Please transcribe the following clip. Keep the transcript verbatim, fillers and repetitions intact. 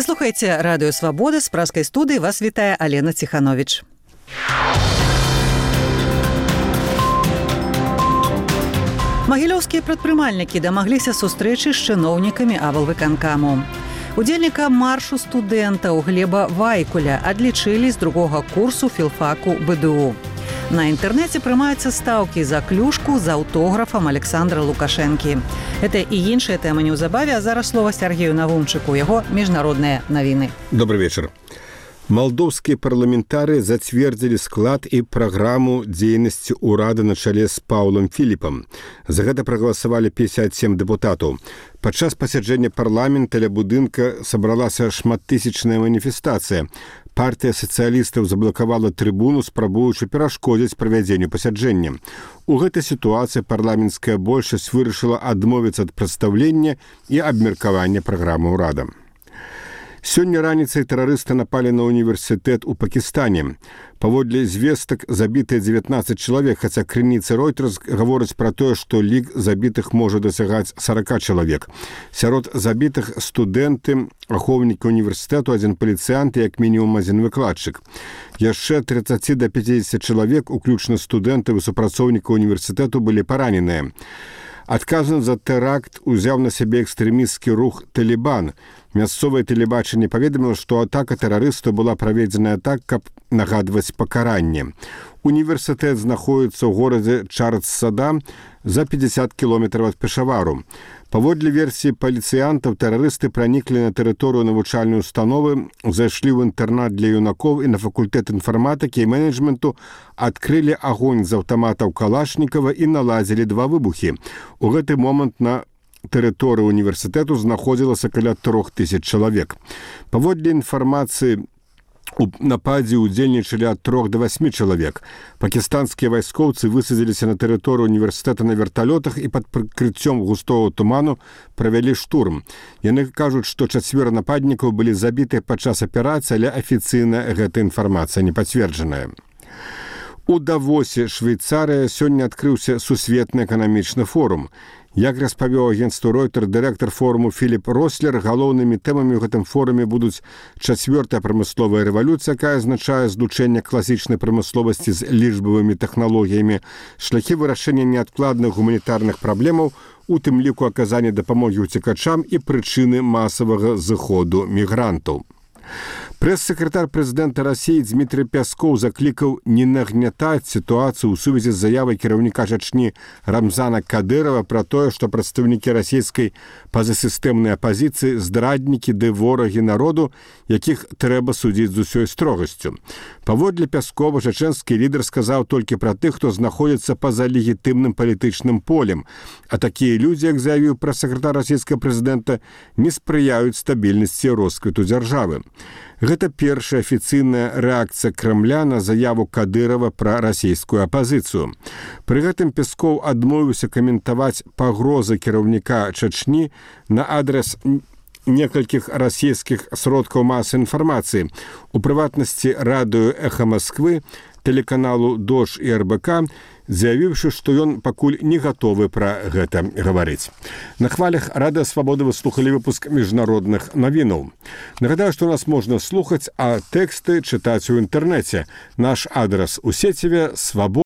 слухаеце радыё Свабода, з праскай студыі вас вітае Алена Ціхановіч. Магілёўскія прадпрымальнікі дамагліся сустрэчы з чыноўнікамі аблвыканкаму. Удзельніка маршу студэнтаў Глеба Вайкуля адлічылі з другога курсу філфаку бэ дэ у. На інтэрнэце прымаюцца стаўкі за клюшку з аўтографам Александра Лукашэнкі. Гэта і іншыя тэмы неўзабаве, а зараз слова Сергею Навумчыку, яго міжнародныя навіны. Добрый вечар. Малдоўскія парламентары зацвердзілі склад і праграму дзейнасці ўрада на чале з Паўлам Філіпам. За гэта прагаласавалі пятьдесят семь дэпутатаў. Падчас пасяджэння парламента ля будынка сабралася шматтысячная маніфестацыя. Партыя сацыялістаў заблакавала трыбуну, спрабуючы перашкодзіць правядзенню пасяджэння. У гэтай сітуацыі парламенцкая большасць вырашыла адмовіцца ад прадстаўлення і абмеркавання праграмы ўрада. Сёння раніцай тэрарысты напалі на універсітэт у Пакістане. Паводле звестак забітыя дзевятнаццаць чалавек, хаця крыніцы Reuters гавораць пра тое, што лік забітых можа дасягаць сорок чалавек. Сярод забітых студэнты, ахоўнікі універсітэту, адзін паліцыянт і як мінімум адзін выкладчык. Яшчэ тридцать до пятидесяти чалавек, уключна студэнтаў і супрацоўнікаў універсітэту, былі параненыя. Адказны за тэракт узяў на сябе экстрэмісцкі рух «Талібан». Мясцовае тэлебачанне паведаміла, што атака тэрарыстаў была праведзеная так, каб нагадваць пакаранне. Універсітэт знаходіцца ў горадзе Чардсада за пятьдесят кіламетраў ад Пешавару. Паводле версіі паліцыянтаў, тэрарысты праніклі на тэрыторыю навучальнай установы, зайшлі ў інтэрнат для юнакоў і на факультэт інфарматыкі і менеджменту, адкрылі агонь з аўтаматаў Калашнікава і наладзілі два выбухі. У гэты момант на тэрыторыі універсітэту знаходзілася каля трох тысяч чалавек. Паводле інфармацыі, у нападзе удзельнічалі ад трох до восьми чалавек. Пакістанскія вайскоўцы высадзіліся на тэрыторыю універсітэта на верталётах і пад прыкрыццём густого туману правялі штурм. Яны кажуць, што чацвёра нападнікаў былі забітыя падчас аперацыі, але афіцыйна гэта інфармацыя не пацверджаная. У Давосе, Швейцарыя, сёння адкрыўся сусветны эканамічны форум. Як распавёў агенцтву Reuters дырэктар форуму Філіп Рослер, галоўнымі тэмамі ў гэтым форуме будуць чацвёртая прамысловая рэвалюцыя, якая азначае злучэнне класічнай прамысловасці з лічбавымі тэхналогіямі, шляхі вырашэння неадкладных гуманітарных праблемаў, у тым ліку аказання дапамогі ўцекачам і прычыны масавага зыходу мігрантаў. Прэс-сакратар прэзідэнта Расіі Дмітрий Пяскоў заклікаў не нагнятаць сітуацыю ў сувязі з заявай кіраўніка Чачні Рамзана Кадырова пра тое, што прадстаўнікі расійскай пазасістэмнай апазіцыі здраднікі ды ворагі народу, якіх трэба судзіць з усёй строгасцю. Паводле Пяскова, чачэнскі лідар сказаў толькі пра тых, хто знаходзіцца па-за легітымным палітычным полем, а такія людзі, як заявіў прэс-сакратар расійскага прэзідэнта, не спрыяюць стабільнасці і росквіту дзяржавы. Гэта першая афіцыйная рэакцыя Крамля на заяву Кадырова пра расійскую апазіцыю. Пры гэтым Пескоў адмовіўся каментаваць пагрозы кіраўніка Чачні на адрес некалькіх расійскіх сродкаў масавай інфармацыі, у прыватнасці радыё «Эхо Москвы», тэлеканалу «Дождь» і эр бэ ка, заявіўшы, што ён пакуль не гатовы пра гэта гаварыць. На хвалях Радыё Свабода вы слухалі выпуск міжнародных навінаў. Нагадаю, што нас можна слухаць, а тэксты чытаць у інтэрнэце. Наш адрас у сеціве свабода.